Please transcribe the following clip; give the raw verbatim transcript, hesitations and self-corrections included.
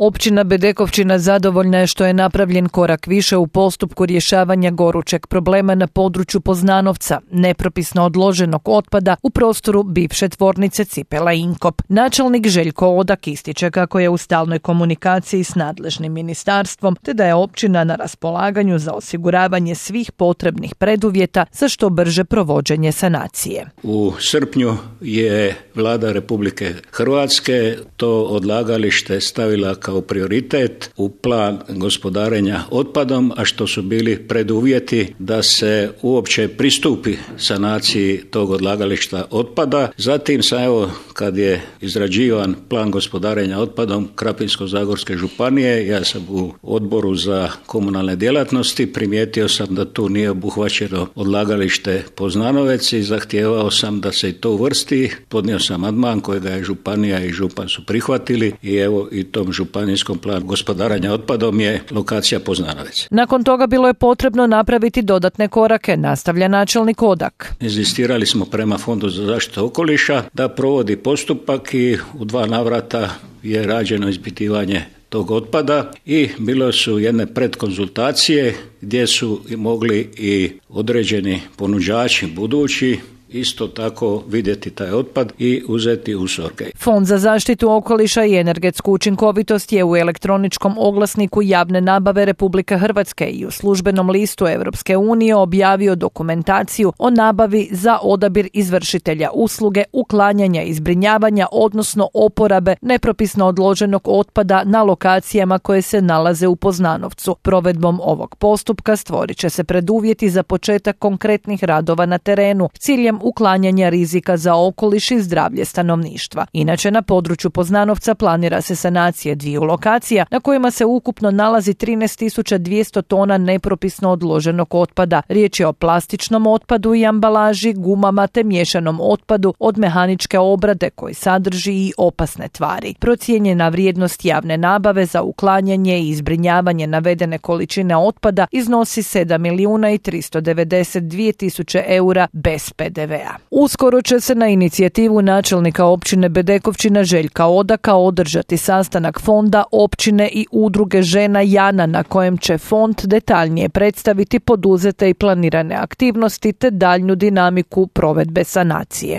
Općina Bedekovčina zadovoljna je što je napravljen korak više u postupku rješavanja gorućeg problema na području Poznanovca, nepropisno odloženog otpada u prostoru bivše tvornice cipela Inkop. Načelnik Željko Odak ističe kako je u stalnoj komunikaciji s nadležnim ministarstvom, te da je općina na raspolaganju za osiguravanje svih potrebnih preduvjeta za što brže provođenje sanacije. U srpnju je Vlada Republike Hrvatske to odlagalište stavila kao prioritet u plan gospodarenja otpadom, a što su bili preduvjeti da se uopće pristupi sanaciji tog odlagališta otpada. Zatim sam, evo, kad je izrađivan plan gospodarenja otpadom Krapinsko-zagorske županije, ja sam u odboru za komunalne djelatnosti, primijetio sam da tu nije obuhvaćeno odlagalište Poznanovec i zahtijevao sam da se i to uvrsti. Podnio sam amandman kojega je županija i župan su prihvatili i evo i tom županijskom planu gospodarenja otpadom je lokacija Poznanovec. Nakon toga bilo je potrebno napraviti dodatne korake, nastavlja načelnik Odak. Inzistirali smo prema Fondu za zaštitu okoliša da provodi postupak i u dva navrata je rađeno ispitivanje tog otpada i bilo su jedne predkonzultacije gdje su mogli i određeni ponuđači budući isto tako vidjeti taj otpad i uzeti usorke. Fond za zaštitu okoliša i energetsku učinkovitost je u elektroničkom oglasniku javne nabave Republike Hrvatske i u službenom listu Europske unije objavio dokumentaciju o nabavi za odabir izvršitelja usluge uklanjanja i zbrinjavanja, odnosno oporabe nepropisno odloženog otpada na lokacijama koje se nalaze u Poznanovcu. Provedbom ovog postupka stvorit će se preduvjeti za početak konkretnih radova na terenu s ciljem uklanjanja rizika za okoliš i zdravlje stanovništva. Inače, na području Poznanovca planira se sanacije dviju lokacija na kojima se ukupno nalazi trinaest tisuća dvjesto tona nepropisno odloženog otpada. Riječ je o plastičnom otpadu i ambalaži, gumama te miješanom otpadu od mehaničke obrade koji sadrži i opasne tvari. Procijenjena vrijednost javne nabave za uklanjanje i zbrinjavanje navedene količine otpada iznosi sedam milijuna i tristo devedeset dvije tisuće eura bez pe de ve a. Uskoro će se na inicijativu načelnika općine Bedekovčina Željka Odaka održati sastanak fonda, općine i udruge žena Jana na kojem će fond detaljnije predstaviti poduzete i planirane aktivnosti te daljnju dinamiku provedbe sanacije.